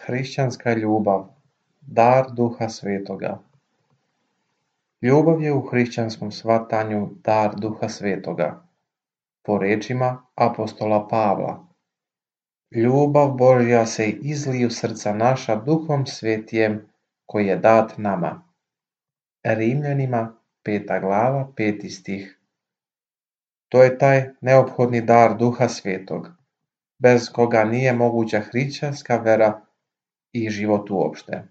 hrišćanska ljubav, dar Duha Svetoga. Ljubav je u hrišćanskom shvatanju dar Duha Svetoga. Po rečima apostola Pavla, ljubav Božja se izlije u srca naša Duhom Svetijem koji je dat nama. Rimljanima 5. glava 5. stih. To je taj neophodni dar Duha Svetog, bez koga nije moguća hrišćanska vera i život uopšte.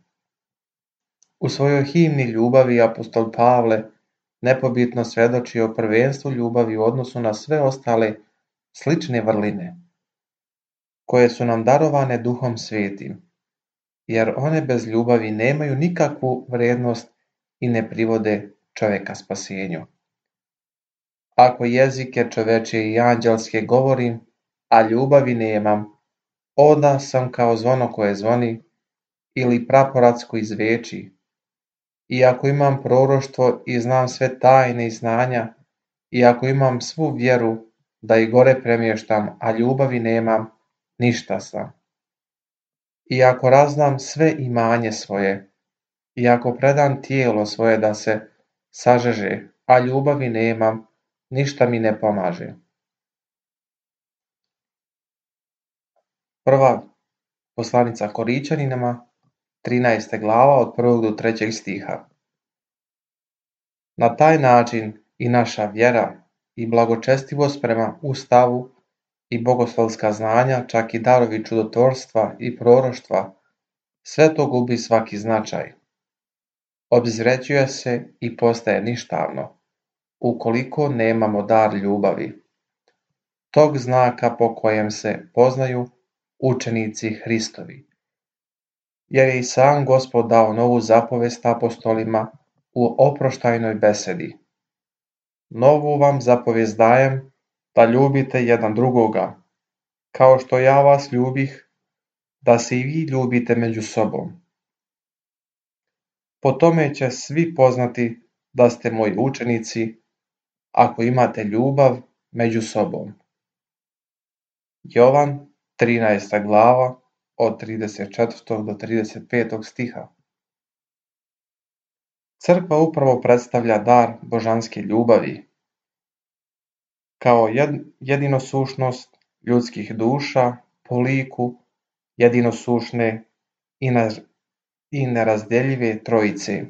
U svojoj himni ljubavi apostol Pavle nepobitno svedoči o prvenstvu ljubavi u odnosu na sve ostale slične vrline, koje su nam darovane Duhom Svetim, jer one bez ljubavi nemaju nikakvu vrednost i ne privode čoveka spasenju. Ako jezike čovečije i anđelske govorim, a ljubavi nemam, onda sam kao zvono koje zvoni ili praporac koji zveči. I ako imam proroštvo i znam sve tajne i znanja, i ako imam svu vjeru da i gore premještam, a ljubavi nemam, ništa sam. I ako raznam sve imanje svoje, i ako predam tijelo svoje da se sažeže, a ljubavi nemam, ništa mi ne pomaže. Prva poslanica Koričanima, 13. glava od 1. do 3. stiha. Na taj način i naša vjera i blagočestivost prema Ustavu i bogoslovska znanja, čak i darovi čudotvorstva i proroštva, sve to gubi svaki značaj. Obezvređuje se i postaje ništavno, ukoliko nemamo dar ljubavi, tog znaka po kojem se poznaju učenici Hristovi. Jer je i sam Gospod dao novu zapovest apostolima u oproštajnoj besedi. Novu vam zapovest dajem, da ljubite jedan drugoga, kao što ja vas ljubih, da se i vi ljubite među sobom. Po tome će svi poznati da ste moji učenici, ako imate ljubav među sobom. Jovan 13. glava od 34. do 35. stiha. Crkva upravo predstavlja dar božanske ljubavi, kao jedinosušnost ljudskih duša po liku jedinosušne i nerazdjeljive trojice.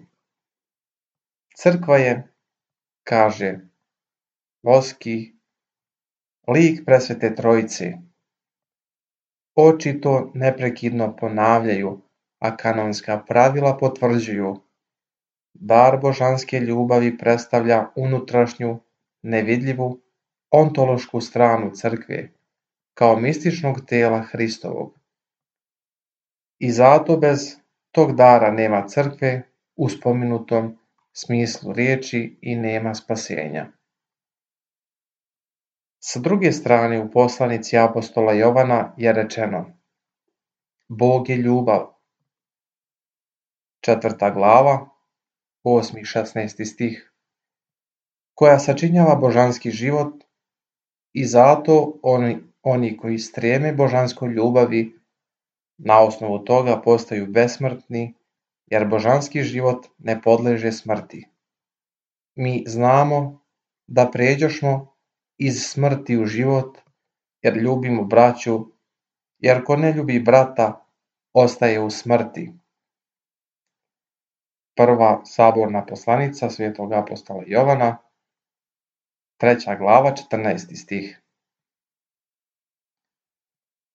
Crkva je, kaže Voski, lik presvete trojice. Oči to neprekidno ponavljaju, a kanonska pravila potvrđuju. Dar božanske ljubavi predstavlja unutrašnju, nevidljivu, ontološku stranu crkve, kao mističnog tela Hristovog. I zato bez tog dara nema crkve u spomenutom smislu riječi i nema spasenja. S druge strane, u poslanici apostola Jovana je rečeno: Bog je ljubav. 4. glava, 8. i 16. stih, koja sačinjava božanski život i zato oni koji streme božanskoj ljubavi na osnovu toga postaju besmrtni, jer božanski život ne podleže smrti. Mi znamo da pređošmo iz smrti u život, jer ljubimo braću, jer ko ne ljubi brata, ostaje u smrti. Prva saborna poslanica svetog apostola Jovana, 3. glava, 14. stih.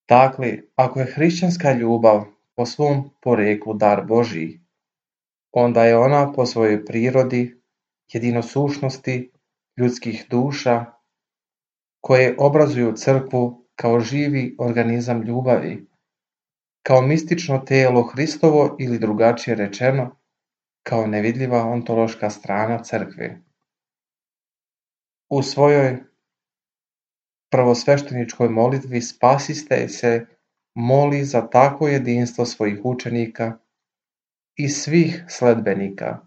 Dakle, ako je hrišćanska ljubav po svom poreklu dar Božji, onda je ona po svojoj prirodi, jedinosušnosti ljudskih duša, koje obrazuju crkvu kao živi organizam ljubavi, kao mistično telo Hristovo ili drugačije rečeno, kao nevidljiva ontološka strana crkve. U svojoj prvosvešteničkoj molitvi Spasitelj se moli za takvo jedinstvo svojih učenika i svih sledbenika,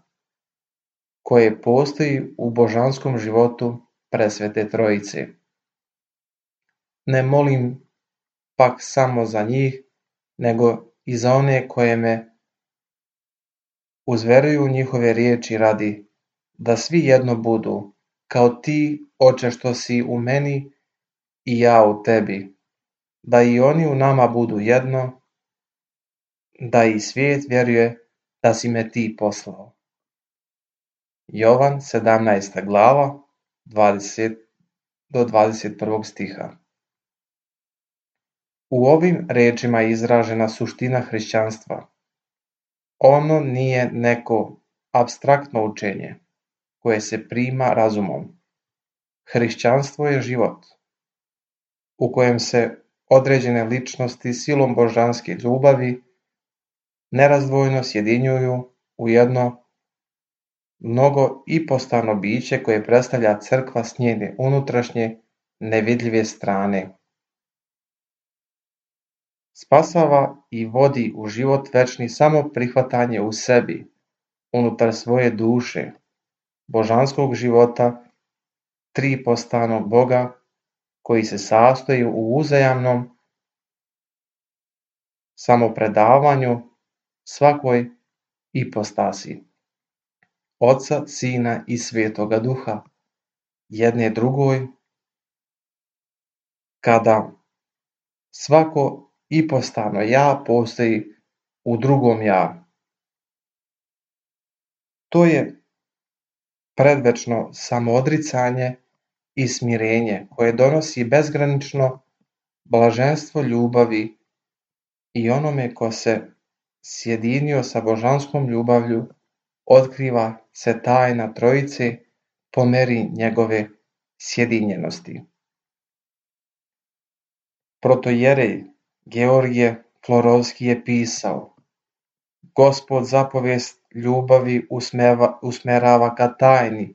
koje postoji u božanskom životu presvete trojice. Ne molim pak samo za njih, nego i za one koje me uzveruju njihove riječi radi, da svi jedno budu, kao ti, Oče, što si u meni i ja u tebi, da i oni u nama budu jedno, da i svijet vjeruje da si me ti poslao. Jovan 17. glava 20 do 21. stiha. U ovim rečima je izražena suština hrišćanstva. Ono nije neko apstraktno učenje koje se prima razumom. Hrišćanstvo je život u kojem se određene ličnosti silom božanske ljubavi nerazdvojno sjedinjuju u jedno mnogo ipostano biće koje predstavlja crkva s njene unutrašnje nevidljive strane. Spasava i vodi u život večni samo prihvatanje u sebi, unutar svoje duše, božanskog života, tripostanog Boga, koji se sastoji u uzajamnom samopredavanju svakoj ipostasi, Oca, Sina i Svetoga Duha, jedne drugoj, kada svako ipostano ja postoji u drugom ja. To je predvečno samoodricanje i smirenje koje donosi bezgranično blaženstvo ljubavi i onome ko se sjedinio sa božanskom ljubavlju otkriva se tajna Trojice po meri njegove sjedinjenosti. Protojerej Georgije Florovski je pisao: Gospod zapovijest ljubavi usmerava ka tajni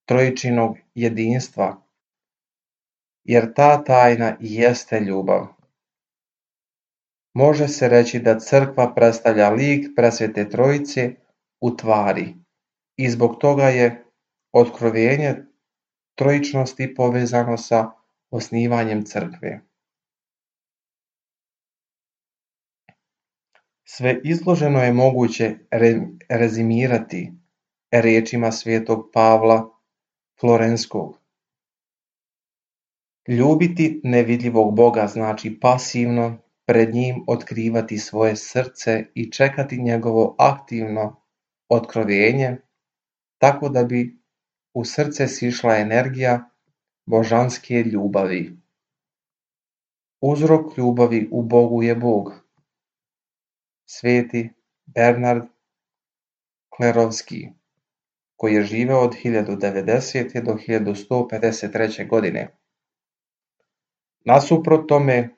trojičinog jedinstva, jer ta tajna i jeste ljubav. Može se reći da crkva predstavlja lik presvete Trojice u tvari i zbog toga je otkrovenje trojičnosti povezano sa osnivanjem crkve. Sve izloženo je moguće rezimirati riječima svetog Pavla Florenskog. Ljubiti nevidljivog Boga znači pasivno pred njim otkrivati svoje srce i čekati njegovo aktivno otkrovenje, tako da bi u srce sišla energija božanske ljubavi. Uzrok ljubavi u Bogu je Bog. Sveti Bernard Klerovski, koji je živeo od 1090. do 1153. godine. Nasuprot tome,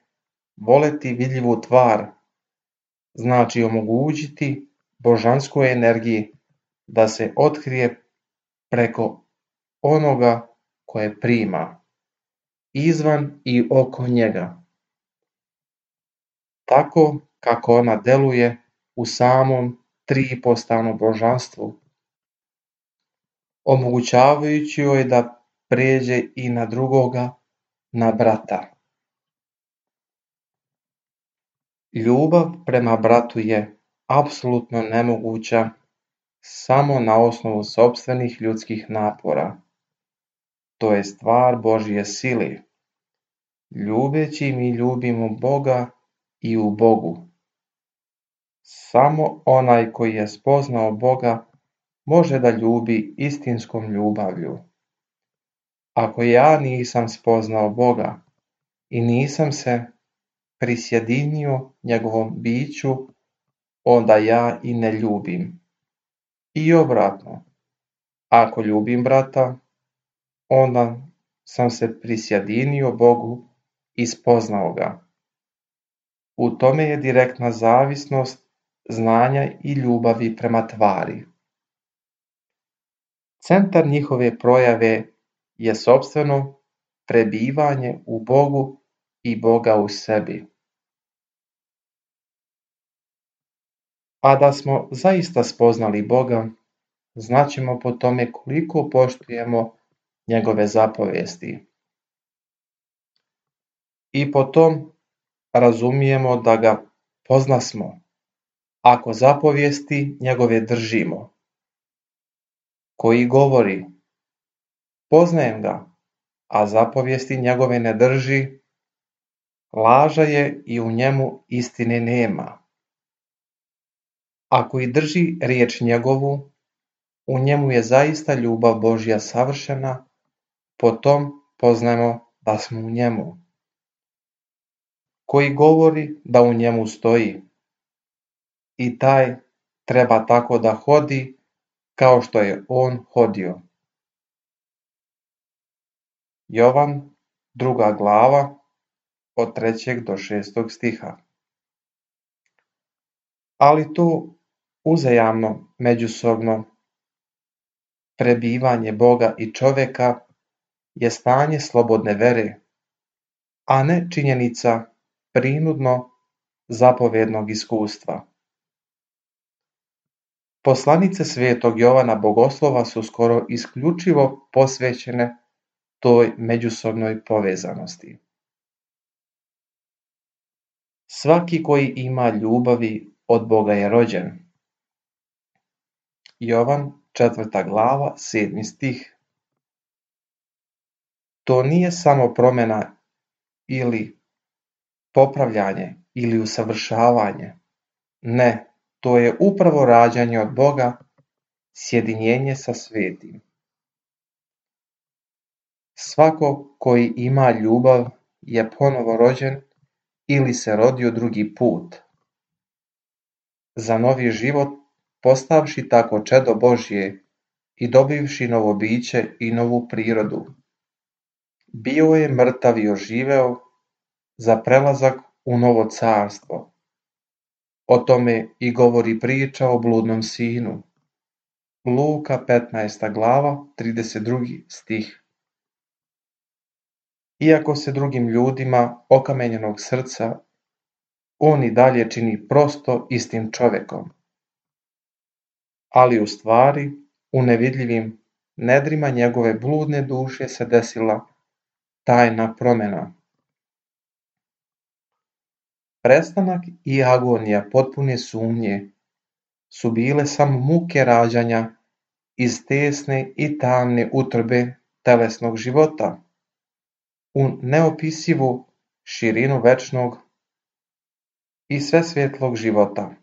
voleti vidljivu tvar znači omogućiti božanskoj energiji da se otkrije preko onoga koje prima, izvan i oko njega, tako kako ona deluje u samom tripostanom božanstvu, omogućavajući joj da pređe i na drugoga, na brata. Ljubav prema bratu je apsolutno nemoguća samo na osnovu sopstvenih ljudskih napora. To je stvar Božje sile. Ljubeći mi ljubimo Boga i u Bogu. Samo onaj koji je spoznao Boga može da ljubi istinskom ljubavlju. Ako ja nisam spoznao Boga i nisam se prisjedinio njegovom biću, onda ja i ne ljubim. I obratno, ako ljubim brata, onda sam se prisjedinio Bogu i spoznao ga. U tome je direktna zavisnost znanja i ljubavi prema tvari. Centar njihove projave je sopstveno prebivanje u Bogu i Boga u sebi. A da smo zaista spoznali Boga, znaćemo po tome koliko poštujemo njegove zapovesti. I po tom razumijemo da ga poznasmo, ako zapovijesti njegove držimo. Koji govori, poznajem ga, a zapovijesti njegove ne drži, laža je i u njemu istine nema. Ako i drži riječ njegovu, u njemu je zaista ljubav Božja savršena, po tom poznajemo da smo u njemu. Koji govori da u njemu stoji, i taj treba tako da hodi kao što je on hodio. Jovan, 2. glava, od 3. do 6. stiha. Ali tu uzajamno, međusobno prebivanje Boga i čovjeka je stanje slobodne vere, a ne činjenica prinudno zapovjednog iskustva. Poslanice svetog Jovana Bogoslova su skoro isključivo posvećene toj međusobnoj povezanosti. Svaki koji ima ljubavi od Boga je rođen. Jovan, 4. glava, 7. stih. To nije samo promjena ili popravljanje ili usavršavanje. Ne, to je upravo rađanje od Boga, sjedinjenje sa svetim. Svako koji ima ljubav je ponovo rođen ili se rodio drugi put. Za novi život postavši tako čedo Božje i dobivši novo biće i novu prirodu. Bio je mrtav i oživeo za prelazak u novo carstvo. O tome i govori priča o bludnom sinu. Luka, 15. glava, 32. stih. Iako se drugim ljudima okamenjenog srca, on i dalje čini prosto istim čovjekom. Ali u stvari, u nevidljivim nedrima njegove bludne duše se desila tajna promjena. Prestanak i agonija potpune sumnje su bile samo muke rađanja iz tesne i tamne utrobe telesnog života u neopisivu širinu večnog i svesvjetlog života.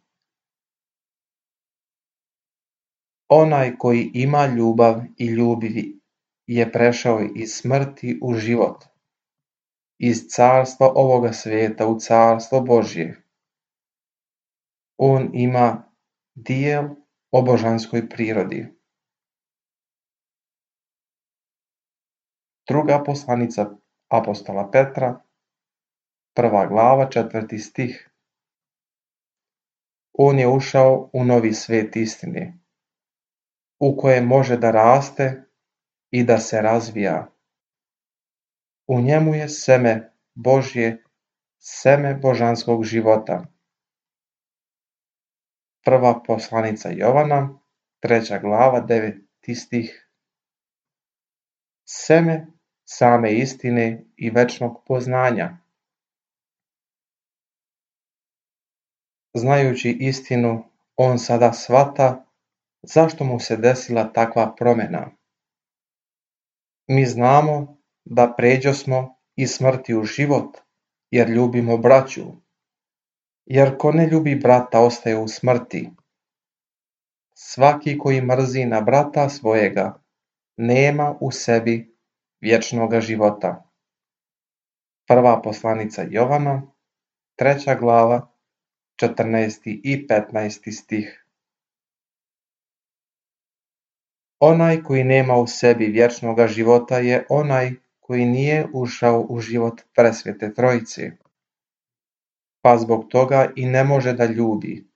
Onaj koji ima ljubav i ljubi je prešao iz smrti u život, iz carstva ovoga svijeta u carstvo Božje. On ima dijel o božanskoj prirodi. Druga poslanica apostola Petra, 1. glava, 4. stih. On je ušao u novi svet istine, u kojem može da raste i da se razvija. U njemu je seme Božje, seme božanskog života. Prva poslanica Jovana, 3. glava, 9. stih. Seme same istine i večnog poznanja. Znajući istinu, on sada shvata zašto mu se desila takva promjena. Mi znamo da pređosmo iz smrti u život, jer ljubimo braću. Jer ko ne ljubi brata ostaje u smrti. Svaki koji mrzi na brata svojega nema u sebi vječnoga života. Prva poslanica Jovana, 3. glava, 14. i 15. stih. Onaj koji nema u sebi vječnoga života je onaj koji nije ušao u život presvete Trojice, pa zbog toga i ne može da ljubi,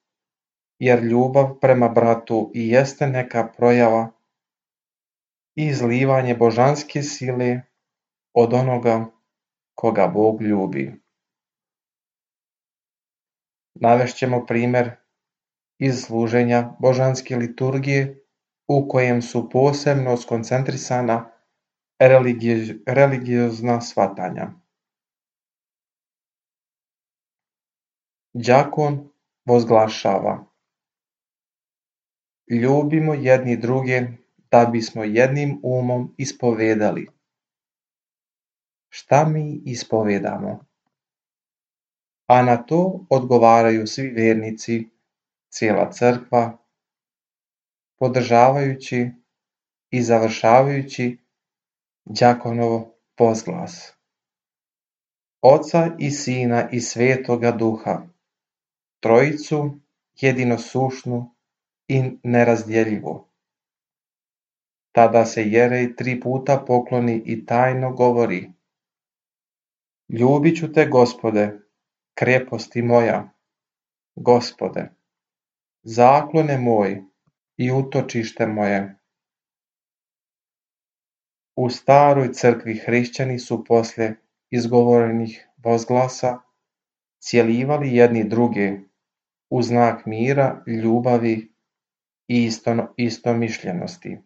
jer ljubav prema bratu i jeste neka projava i izlivanje božanske sile od onoga koga Bog ljubi. Navešćemo primjer iz služenja božanske liturgije u kojem su posebno skoncentrisana religiozna shvatanja. đakon vozglašava: ljubimo jedni druge da bismo jednim umom ispovedali. Šta mi ispovedamo? A na to odgovaraju svi vernici, cijela crkva, podržavajući i završavajući đakonov vozglas. Oca i Sina i Svetoga Duha, Trojicu jedinosušnu i nerazdjeljivu. Tada se Jerej 3 puta pokloni i tajno govori: ljubit ću te, Gospode, kreposti moja, Gospode, zaklone moj i utočište moje. U staroj crkvi hrišćani su poslije izgovorenih vozglasa cjelivali jedni druge u znak mira, ljubavi i istomišljenosti.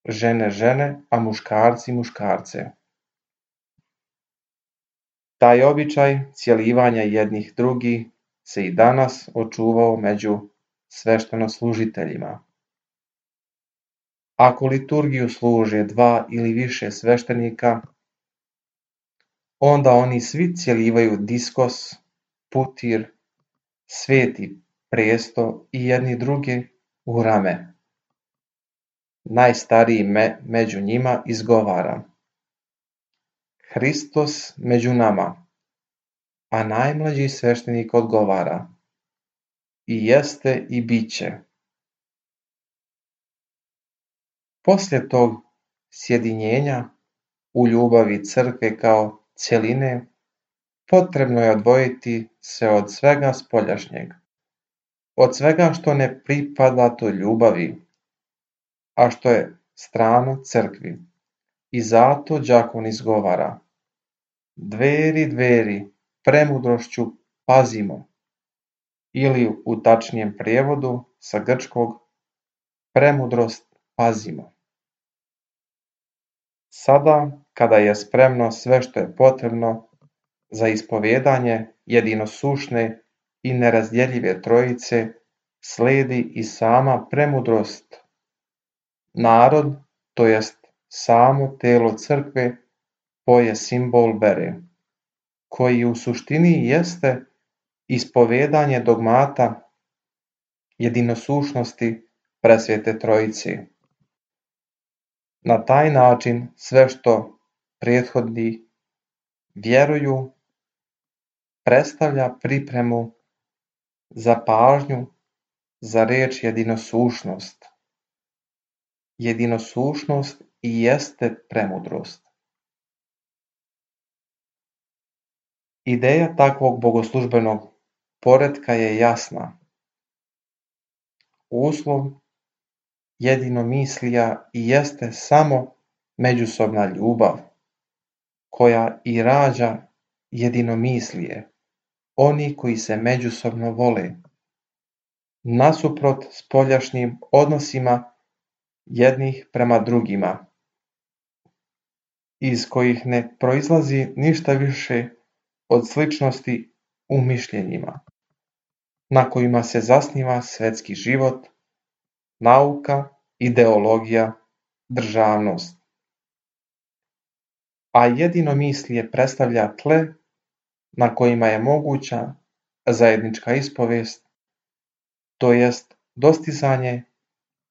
Žene žene, a muškarci muškarce. Taj običaj cjelivanja jednih drugih se i danas očuvao među sveštenoslужiteljima. Ako liturgiju služe 2 ili više sveštenika, onda oni svi cjelivaju diskos, putir, sveti presto i jedni druge u rame. Najstariji među njima izgovara: Hristos među nama, a najmlađi sveštenik odgovara: i jeste i bit će. Poslije tog sjedinjenja u ljubavi crkve kao cjeline, potrebno je odvojiti se od svega spoljašnjeg, od svega što ne pripada toj ljubavi, a što je strano crkvi. I zato đakon izgovara: dveri, dveri, premudrošću pazimo, ili u tačnijem prijevodu sa grčkog premudrost pazimo. Sada, kada je spremno sve što je potrebno za ispovedanje jedinosušne i nerazdjeljive Trojice, slijedi i sama premudrost. Narod, to jest samo telo crkve, poje simbol vere, koji u suštini jeste ispovedanje dogmata jedinosušnosti Presvete Trojice. Na taj način sve što prethodni vjeruju predstavlja pripremu za pažnju za riječ jedinosušnost. Jedinosušnost i jeste premudrost. Ideja takvog bogoslužbenog poretka je jasna. Uslov jedinomislija i jeste samo međusobna ljubav, koja i rađa jedinomislije, oni koji se međusobno vole, nasuprot spoljašnjim odnosima jednih prema drugima, iz kojih ne proizlazi ništa više od sličnosti u mišljenjima, na kojima se zasniva svetski život, nauka, ideologija, državnost. A jedinomislije predstavlja tle na kojima je moguća zajednička ispovest, to jest dostizanje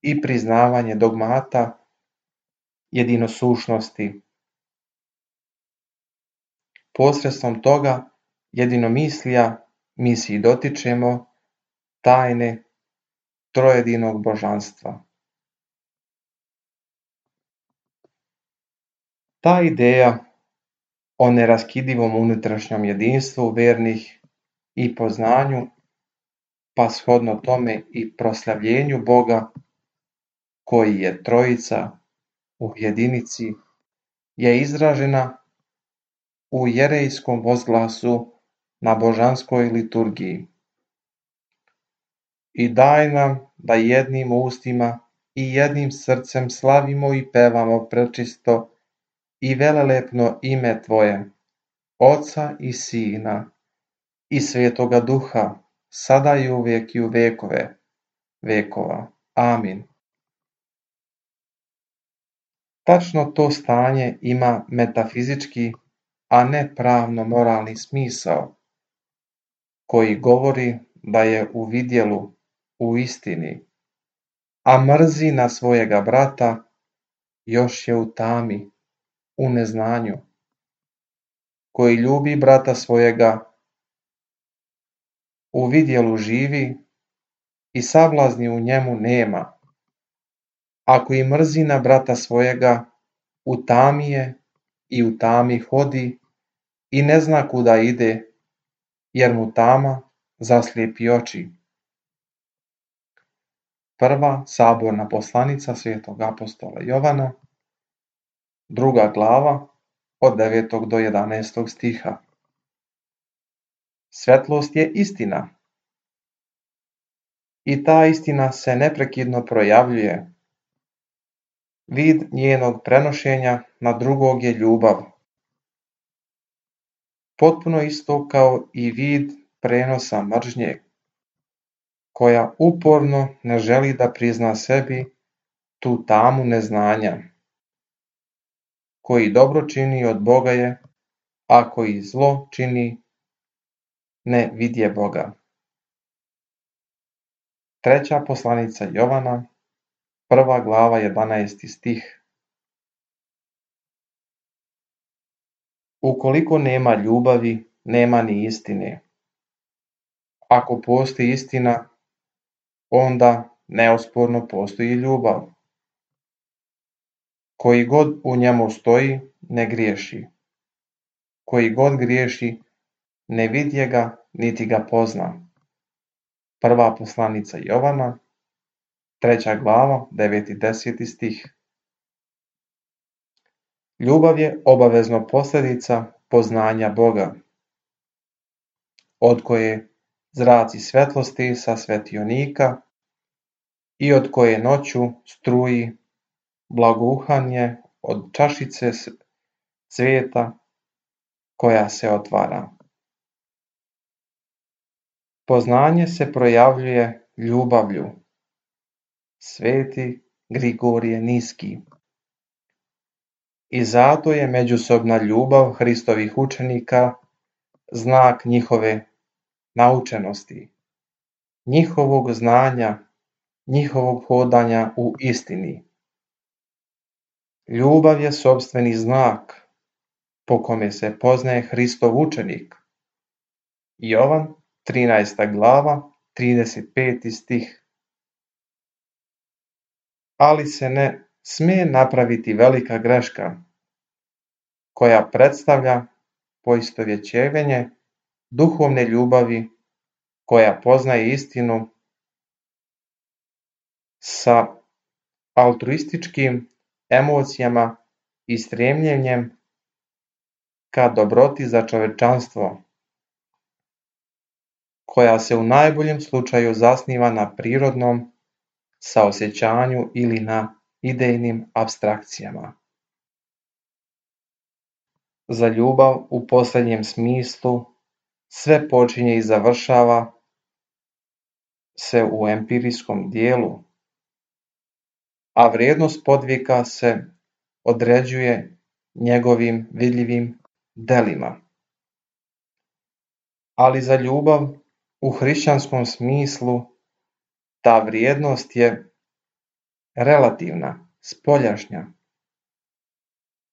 i priznavanje dogmata jedinosušnosti. Posredstvom toga jedinomislija mi se dotičemo tajne trojedinog božanstva. Ta ideja o neraskidivom unutrašnjem jedinstvu vernih i poznanju, pa shodno tome i proslavljenju Boga, koji je Trojica u jedinici, je izražena u jerejskom vozglasu na božanskoj liturgiji. I daj nam da jednim ustima i jednim srcem slavimo i pevamo prečisto i velelepno ime Tvoje, Oca i Sina i Svetoga Duha, sada i uvijek i u vekove vekova. Amin. Tačno to stanje ima metafizički, a ne pravno-moralni smisao, koji govori da je u vidjelu, u istini, a mrzi na svojega brata, još je u tami, u neznanju. Koji ljubi brata svojega, u vidjelu živi i sablazni u njemu nema. Ako i mrzi na brata svojega, u tami je i u tami hodi i ne zna kuda ide, jer mu tama zaslijepi oči. Prva saborna poslanica svetog apostola Jovana, 2. glava, od 9. do 11. stiha. Svetlost je istina. I ta istina se neprekidno projavljuje. Vid njenog prenošenja na drugog je ljubav. Potpuno isto kao i vid prenosa mržnje, koja uporno ne želi da prizna sebi tu tamu neznanja. Koji dobro čini od Boga je, a koji zlo čini ne vidje Boga. Treća poslanica Jovana, 1. glava, 11. stih. Ukoliko nema ljubavi, nema ni istine. Ako postoji istina, onda neosporno postoji ljubav. Koji god u njemu stoji, ne griješi. Koji god griješi, ne vidje ga, niti ga pozna. Prva poslanica Jovana, 3. glava, 9. i 10. stih. Ljubav je obavezno posljedica poznanja Boga, od koje zraci svetlosti sa svetionika i od koje noću struji blagouhanje od čašice cvijeta koja se otvara. Poznanje se projavljuje ljubavlju. Sveti Grigorije Niski. I zato je međusobna ljubav Hristovih učenika znak njihove naučenosti, njihovog znanja, njihovog hodanja u istini. Ljubav je sopstveni znak po kome se poznaje Hristov učenik. Jovan, 13. glava, 35. stih. Ali se ne smije napraviti velika greška, koja predstavlja poistovjećivanje duhovne ljubavi koja poznaje istinu sa altruističkim emocijama i stremljenjem ka dobroti za čovečanstvo, koja se u najboljem slučaju zasniva na prirodnom saosjećanju ili na idejnim apstrakcijama. Za ljubav u posljednjem smislu sve počinje i završava se u empirijskom dijelu, a vrijednost podvika se određuje njegovim vidljivim delima. Ali za ljubav u hrišćanskom smislu ta vrijednost je relativna, spoljašnja.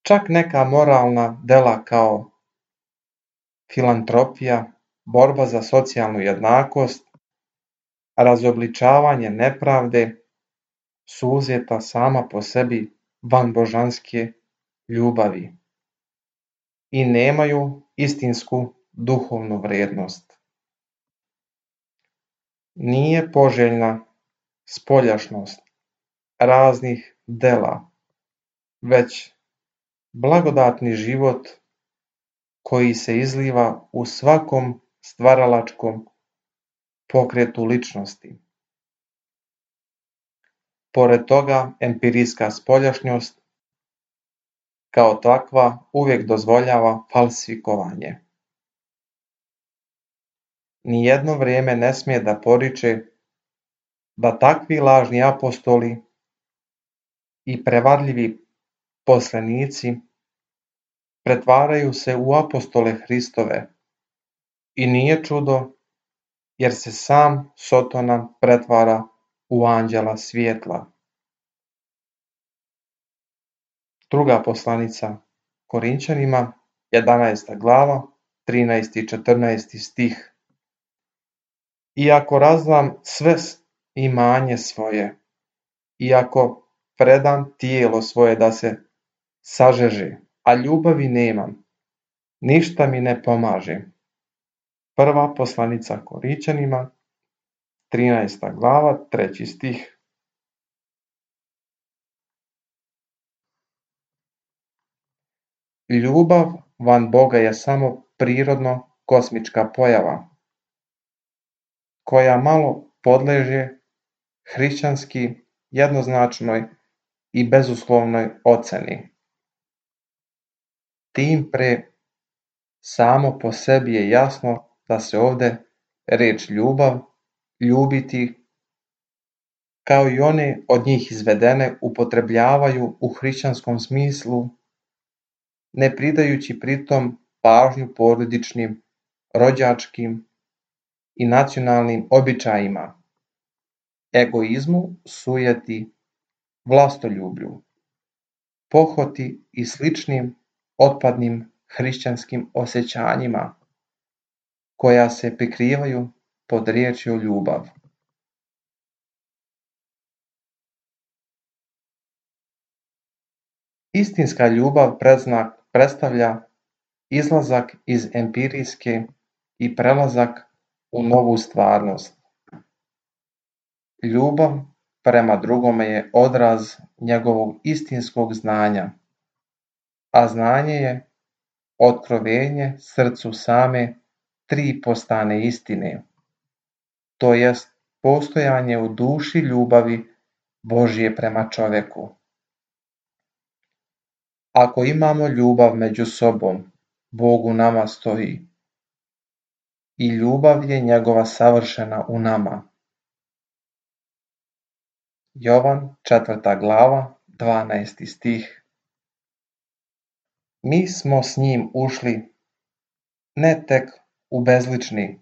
Čak neka moralna dela kao filantropija, borba za socijalnu jednakost, razobličavanje nepravde su uzeta sama po sebi van božanske ljubavi i nemaju istinsku duhovnu vrijednost. Nije poželjna spoljašnost raznih dela, već blagodatni život koji se izliva u svakom stvaralačkom pokretu ličnosti. Pored toga, empirijska spoljašnjost kao takva uvijek dozvoljava falsifikovanje. nijedno vrijeme ne smije da poriče da takvi lažni apostoli i prevarljivi poslanici pretvaraju se u apostole Hristove i nije čudo jer se sam Sotona pretvara u anđela svjetla. Druga poslanica Korinćanima, 11. glava, 13. i 14. stih. Iako razdam sve imanje svoje, iako predam tijelo svoje da se sažeže, a ljubavi nemam, ništa mi ne pomaže. Prva poslanica Korinćanima, 13. glava, 3. stih. Ljubav van Boga je samo prirodno kosmička pojava, koja malo podleže hrišćanski jednoznačnoj i bezuslovnoj oceni. Tim pre samo po sebi je jasno da se ovde reč ljubav, ljubiti, kao i one od njih izvedene upotrebljavaju u hrišćanskom smislu, ne pridajući pritom pažnju porodičnim, rođačkim i nacionalnim običajima, egoizmu, sujeti, vlastoljublju, pohoti i sličnim otpadnim hrišćanskim osjećanjima, koja se prikrivaju pod riječju ljubav. Istinska ljubav predstavlja izlazak iz empirijske i prelazak u novu stvarnost. Ljubav prema drugome je odraz njegovog istinskog znanja, a znanje je otkrovenje srcu same tri postane istine, to jest postojanje u duši ljubavi Božje prema čoveku. Ako imamo ljubav među sobom, Bog u nama stoji i ljubav je njegova savršena u nama. Jovan, 4. glava, 12. stih. Mi smo s njim ušli ne tek u bezlični,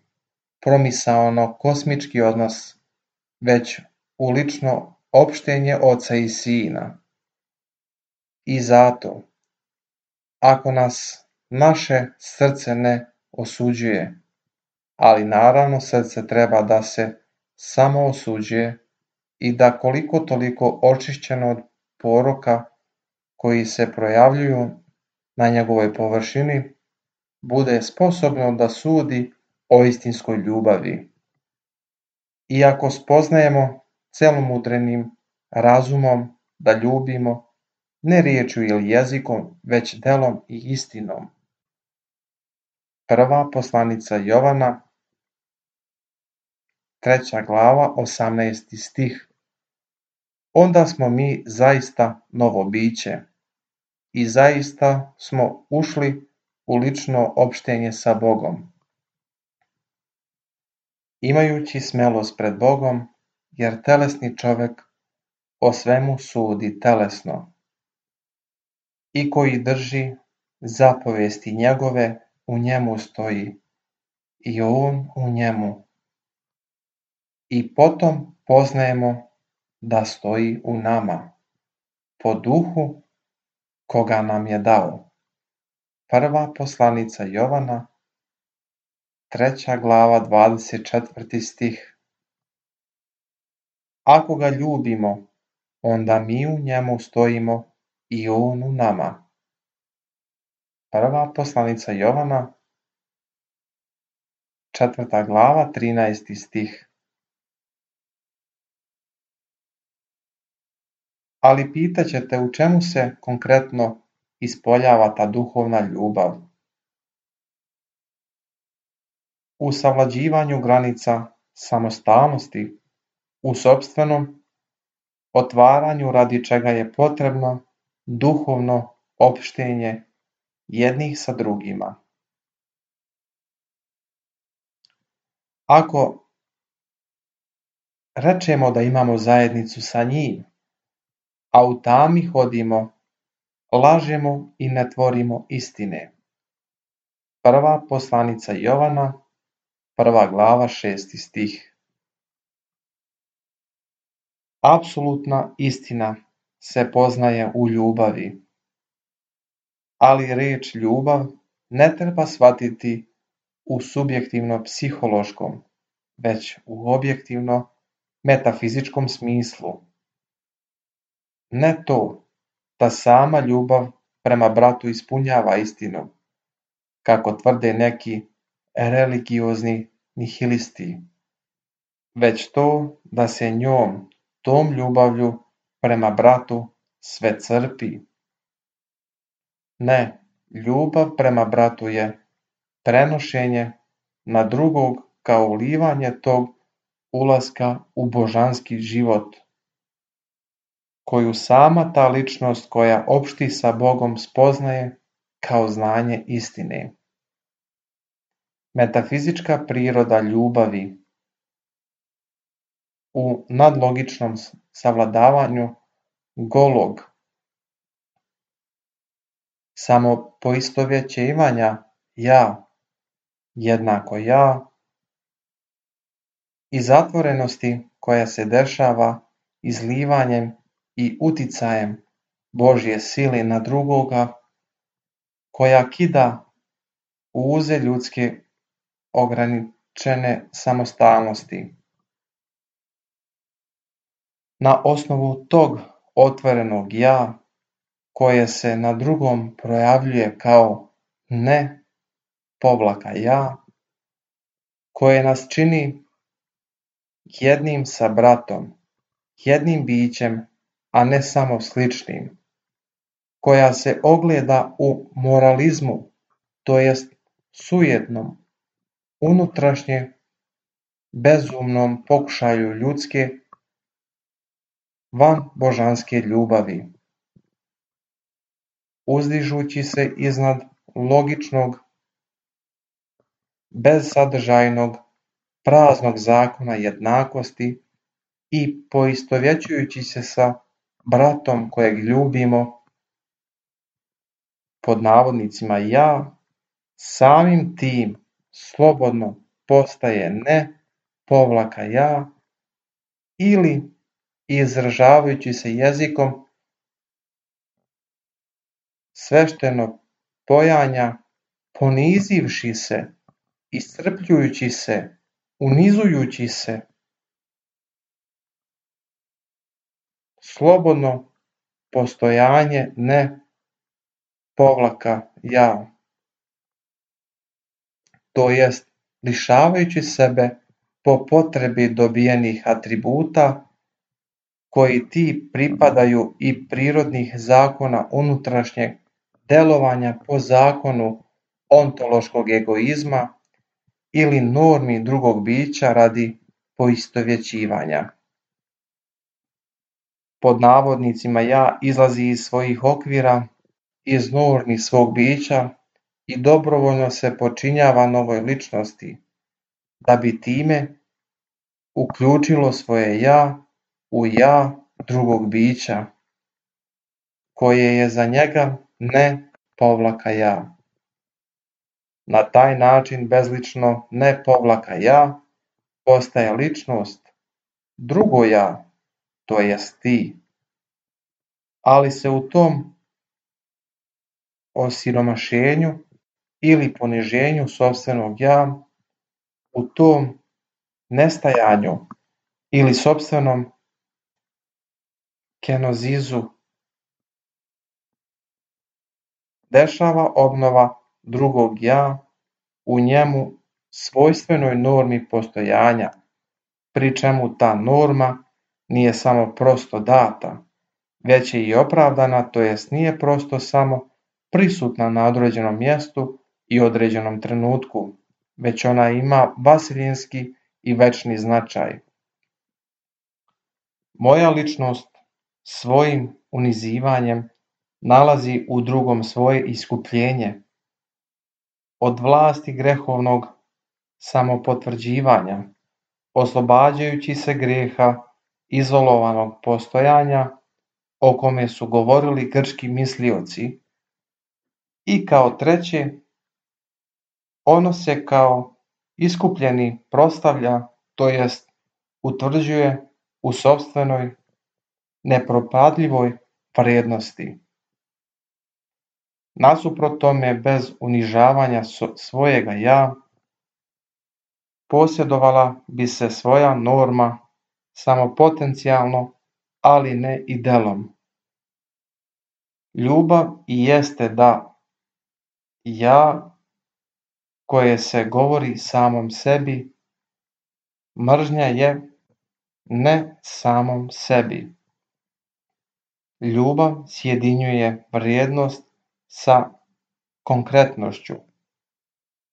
promisaono-kosmički odnos, već u lično opštenje Oca i Sina. I zato, ako nas naše srce ne osuđuje, ali naravno srce treba da se samo osuđuje i da koliko toliko očišćeno od poroka koji se projavljuju na njegovoj površini, bude sposobno da sudi o istinskoj ljubavi. Iako spoznajemo celomudrenim razumom da ljubimo ne riječju ili jezikom, već delom i istinom. Prva poslanica Jovana, 3. glava, 18. stih. Onda smo mi zaista novo biće i zaista smo ušli u lično opštenje sa Bogom. Imajući smelost pred Bogom, jer telesni čovek o svemu sudi telesno i koji drži zapovesti njegove u njemu stoji i on u njemu. I potom poznajemo da stoji u nama, po duhu koga nam je dao. Prva poslanica Jovana, 3. glava, 24. stih. Ako ga ljubimo, onda mi u njemu stojimo i on u nama. Prva poslanica Jovana, 4. glava, 13. stih. Ali pitaćete u čemu se konkretno ispoljava ta duhovna ljubav? U savlađivanju granica samostalnosti, u sopstvenom otvaranju radi čega je potrebno duhovno opštenje jednih sa drugima. Ako rečemo da imamo zajednicu sa njim, a u tami hodimo, lažemo i ne tvorimo istine. Prva poslanica Jovana, 1. glava, 6. stih. Apsolutna istina se poznaje u ljubavi, ali reč ljubav ne treba shvatiti u subjektivno-psihološkom, već u objektivno-metafizičkom smislu. Ne to da sama ljubav prema bratu ispunjava istinu, kako tvrde neki religiozni nihilisti, već to da se njom, tom ljubavlju prema bratu sve crpi. Ne, ljubav prema bratu je prenošenje na drugog kao ulivanje tog ulaska u božanski život, koju sama ta ličnost koja opšti sa Bogom spoznaje kao znanje istine. Metafizička priroda ljubavi u nadlogičnom savladavanju golog samopoistovjećivanja ja jednako ja i zatvorenosti koja se dešava izlivanjem i uticajem Božje sile na drugoga, koja kida uze ljudske ograničene samostalnosti. Na osnovu tog otvorenog ja, koje se na drugom projavljuje kao ne povlaka ja, koje nas čini jednim sa bratom, jednim bićem, a ne samo sličnim, koja se ogleda u moralizmu, to jest sujetnom, unutrašnje bezumnom pokušaju ljudske van božanske ljubavi, uzdižući se iznad logičnog, bezsadržajnog, praznog zakona jednakosti i poistovjećujući se sa bratom kojeg ljubimo, pod navodnicima ja, samim tim slobodno postaje ne povlaka ja, ili izražavajući se jezikom svešteno pojanja, ponizivši se, iscrpljujući se, unizujući se, slobodno postojanje ne povlaka ja, to jest lišavajući sebe po potrebi dobijenih atributa koji ti pripadaju i prirodnih zakona unutrašnjeg delovanja po zakonu ontološkog egoizma ili normi drugog bića radi poistovjećivanja. Pod navodnicima ja izlazi iz svojih okvira, iz normi svog bića i dobrovoljno se počinjava novoj ličnosti, da bi time uključilo svoje ja u ja drugog bića, koje je za njega ne povlaka ja. Na taj način bezlično ne povlaka ja postaje ličnost, drugo ja, to jest ti, ali se u tom osiromašenju ili poniženju sopstvenog ja, u tom nestajanju ili sopstvenom kenozizu dešava obnova drugog ja u njemu svojstvenoj normi postojanja, pri čemu ta norma nije samo prosto data, već je i opravdana, to jest nije prosto samo prisutna na određenom mjestu i određenom trenutku, već ona ima vasilinski i večni značaj. Moja ličnost svojim unizivanjem nalazi u drugom svoje iskupljenje od vlasti grehovnog samopotvrđivanja, oslobađajući se grijeha izolovanog postojanja o kome su govorili grčki mislioci. I kao treće, ono se kao iskupljeni proslavlja, to jest utvrđuje u sopstvenoj nepropadljivoj vrijednosti. Nasuprot tome, bez unižavanja svojega ja, posjedovala bi se svoja norma samo potencijalno, ali ne i delom. Ljubav i jeste da ja koje se govori samom sebi, mržnja je ne samom sebi. Ljubav sjedinjuje vrijednost sa konkretnošću,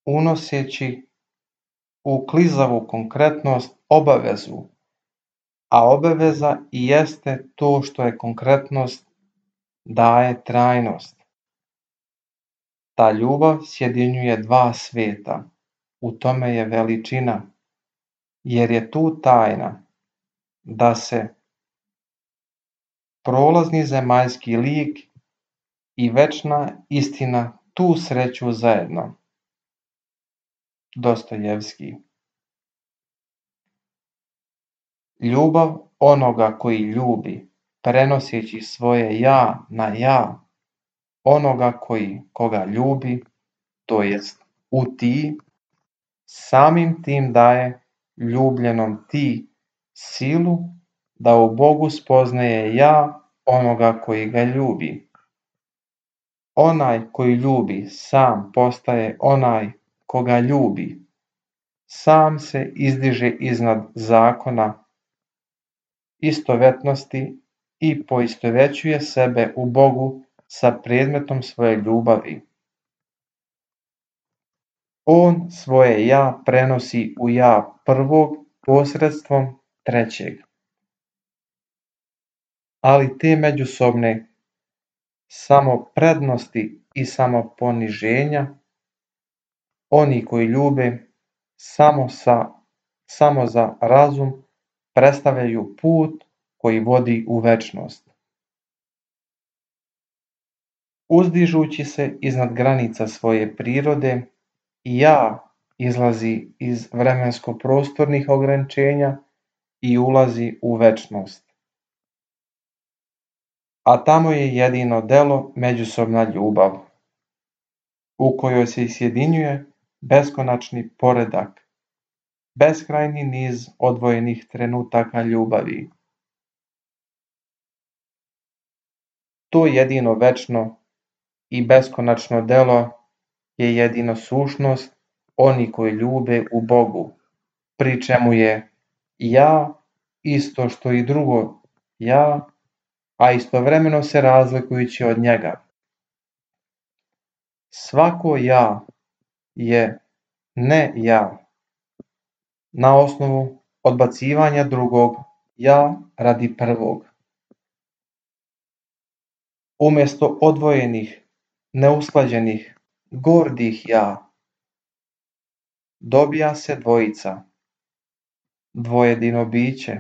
unoseći u klizavu konkretnost obavezu, a obaveza i jeste to što je konkretnost daje trajnost. Ta ljubav sjedinjuje dva svijeta, u tome je veličina, jer je tu tajna da se prolazni zemaljski lik i večna istina tu sreću zajedno. Dostojevski. Ljubav onoga koji ljubi, prenoseći svoje ja na ja, onoga koga ljubi, to jest u ti, samim tim daje ljubljenom ti silu da u Bogu spoznaje ja onoga koji ga ljubi. Onaj koji ljubi sam postaje onaj koga ljubi. Sam se izdiže iznad zakona istovetnosti i poistovećuje sebe u Bogu sa predmetom svoje ljubavi. On svoje ja prenosi u ja prvog posredstvom trećeg. Ali te međusobne samoprednosti i samoponiženja, oni koji ljube samo za razum, predstavljaju put koji vodi u večnost. Uzdižući se iznad granica svoje prirode, ja izlazi iz vremensko-prostornih ograničenja i ulazi u večnost. A tamo je jedino delo međusobna ljubav, u kojoj se sjedinjuje beskonačni poredak, beskrajni niz odvojenih trenutaka ljubavi. To jedino večno i beskonačno delo je jedino sušnost oni koji ljube u Bogu, pri čemu je ja isto što i drugo ja, a istovremeno se razlikujući od njega. Svako ja je ne ja, na osnovu odbacivanja drugog ja radi prvog. Umjesto odvojenih, neusklađenih, gordih ja, dobija se dvojica, dvojedino biće,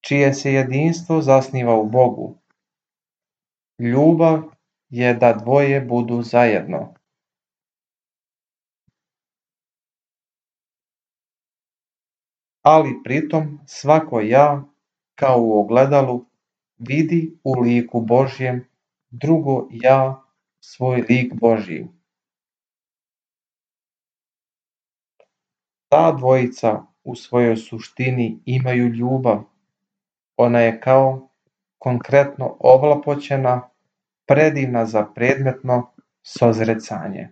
čije se jedinstvo zasniva u Bogu. Ljubav je da dvoje budu zajedno. Ali pritom svako ja, kao u ogledalu, vidi u liku Božjem drugo ja, svoj lik Božji. Ta dvojica u svojoj suštini imaju ljubav. Ona je kao konkretno ovlapoćena, predivna za predmetno sozrecanje.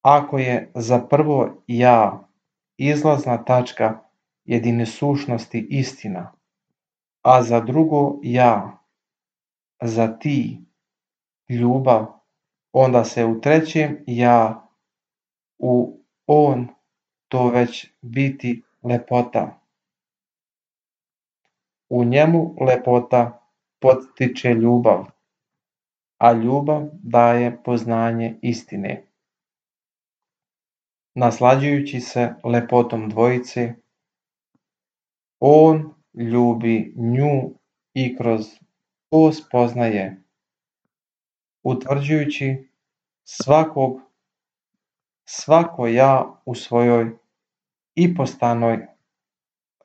Ako je za prvo ja izlazna tačka jedine sušnosti istina, a za drugo ja, za ti, ljubav, onda se u trećem ja, u on, to već biti lepota. U njemu lepota podstiče ljubav, a ljubav daje poznanje istine. naslađujući se lepotom dvojice, on ljubi nju i kroz to spoznaje, utvrđujući svako ja u svojoj ipostanoj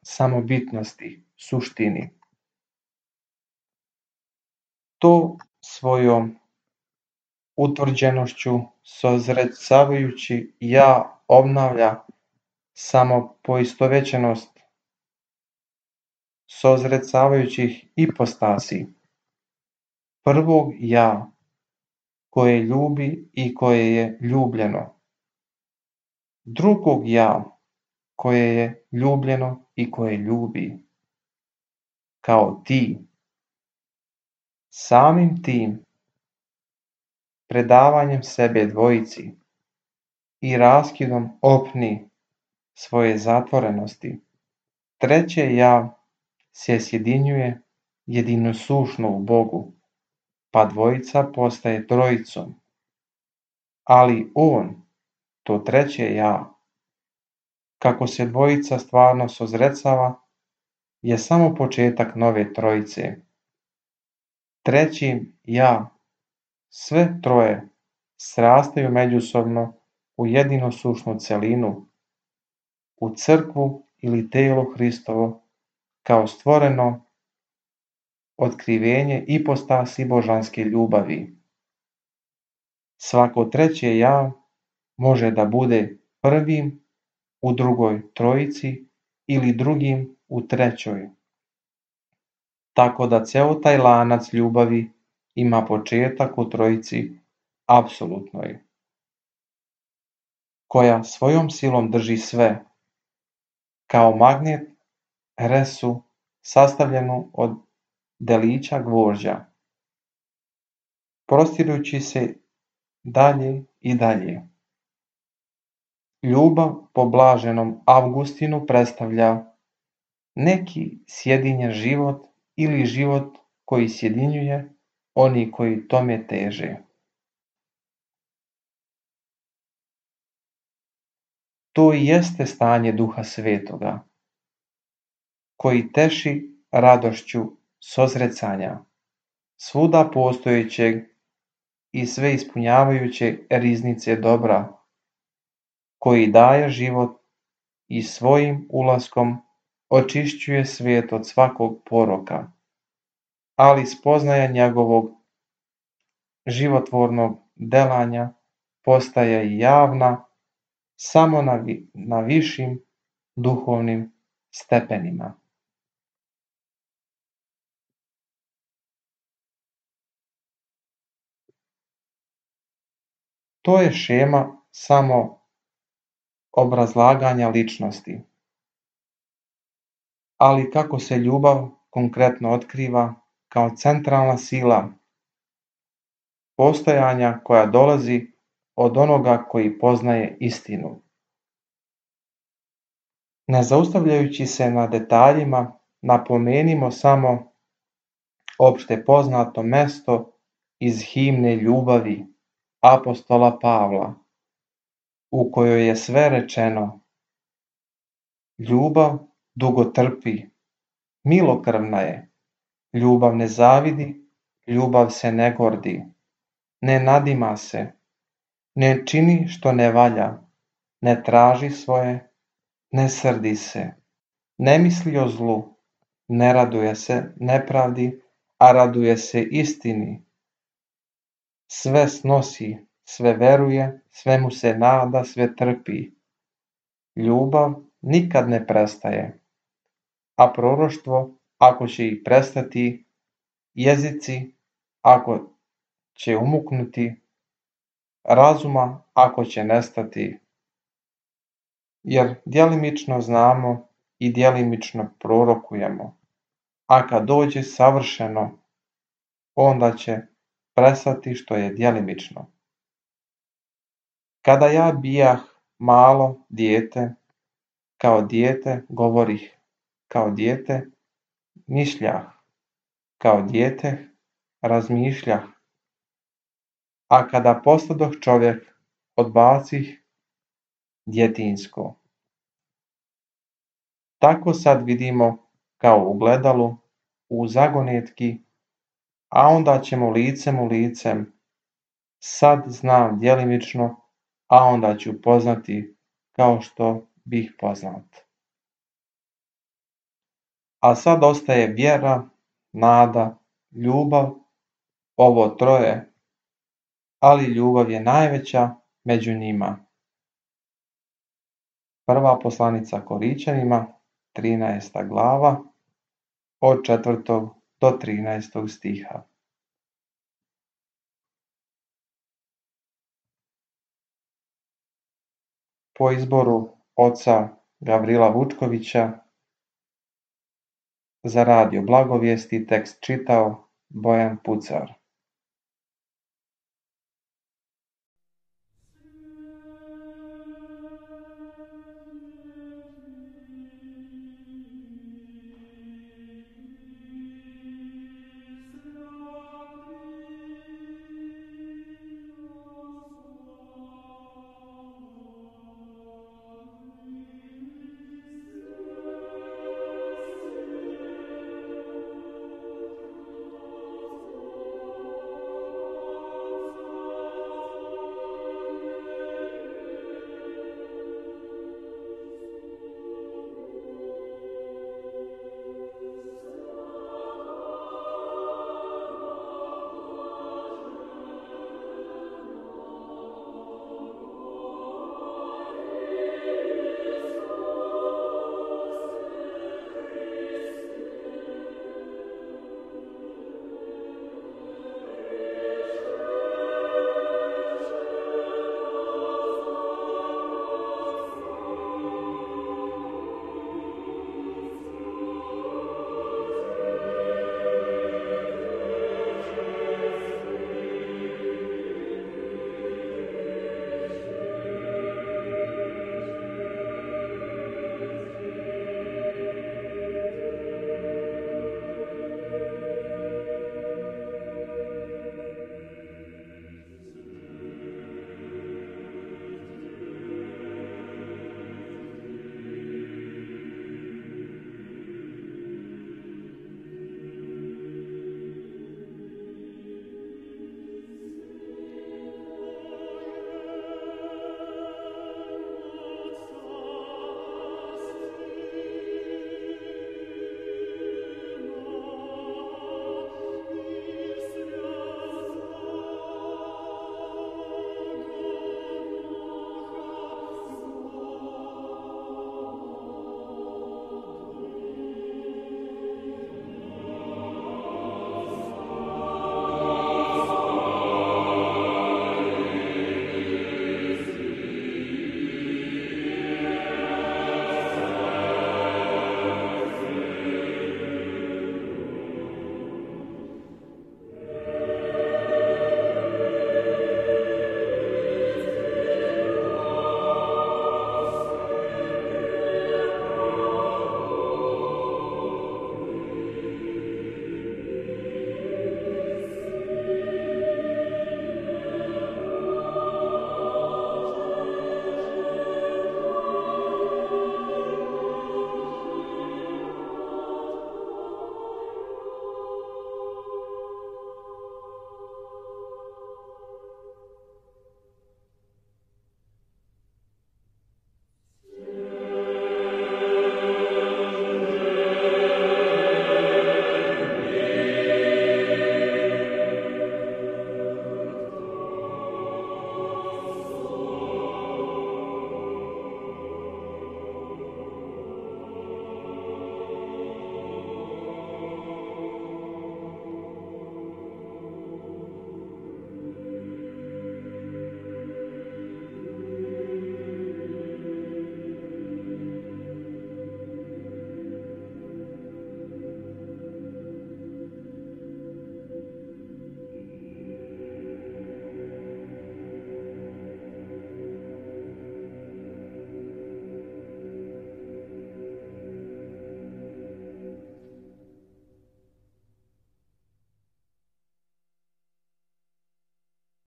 samobitnosti, suštini. To svojom utvrđenošću sozrecavajući ja obnavlja samopoistovećenost sozrecavajućih ipostasi, prvog ja koje ljubi i koje je ljubljeno, drugog ja koje je ljubljeno i koje ljubi, kao ti. Samim tim predavanjem sebe dvojici i raskidom opni svoje zatvorenosti, treće ja se sjedinjuje jedinosušno u Bogu, pa dvojica postaje trojicom. Ali on, to treće ja, kako se dvojica stvarno sozrecava, je samo početak nove trojice. Trećim ja, sve troje srastaju međusobno u jedinosušnu celinu, u crkvu ili telo Hristovo, kao stvoreno otkrivenje ipostasi božanske ljubavi. Svako treće ja može da bude prvim u drugoj trojici ili drugim u trećoj. Tako da ceo taj lanac ljubavi ima početak u trojici apsolutnoj, koja svojom silom drži sve, kao magnet resu sastavljenu od delića gvožđa, prostirujući se dalje i dalje. Ljubav po blaženom Avgustinu predstavlja neki sjedinjen život ili život koji sjedinjuje oni koji tome teže. To i jeste stanje Duha Svetoga, koji teši radošću sozrecanja, svuda postojećeg i sve ispunjavajuće riznice dobra, koji daje život i svojim ulaskom očišćuje svijet od svakog poroka, ali spoznaja njegovog životvornog delanja postaje javna samo na višim duhovnim stepenima. To je šema samo obrazlaganja ličnosti. Ali kako se ljubav konkretno otkriva kao centralna sila postojanja koja dolazi od onoga koji poznaje istinu. Ne zaustavljajući se na detaljima, napomenimo samo opšte poznato mesto iz himne ljubavi apostola Pavla, u kojoj je sve rečeno. Ljubav dugo trpi, milokrvna je, ljubav ne zavidi, ljubav se ne gordi, ne nadima se, ne čini što ne valja, ne traži svoje, ne srdi se, ne misli o zlu, ne raduje se nepravdi, a raduje se istini. Sve snosi, sve veruje, sve mu se nada, sve trpi. Ljubav nikad ne prestaje, a proroštvo, ako će i prestati, jezici, ako će umuknuti, razuma, ako će nestati, jer djelimično znamo i djelimično prorokujemo, a kad dođe savršeno, onda će prestati što je djelimično. Kada ja bijah malo dijete, kao dijete govorih, kao dijete mišljah, kao dijete razmišljah, a kada postadoh čovjek, odbacih djetinjsko. Tako sad vidimo kao u gledalu, u zagonetki, a onda ćemo licem u licem, sad znam djelimično, a onda ću poznati kao što bih poznat. A sad ostaje vjera, nada, ljubav, ovo troje, ali ljubav je najveća među njima. Prva poslanica Korićanima, 13. glava, od 4. do 13. stiha. Po izboru oca Gavrila Vučkovića, za radio Blagovijesti tekst čitao Bojan Pucar.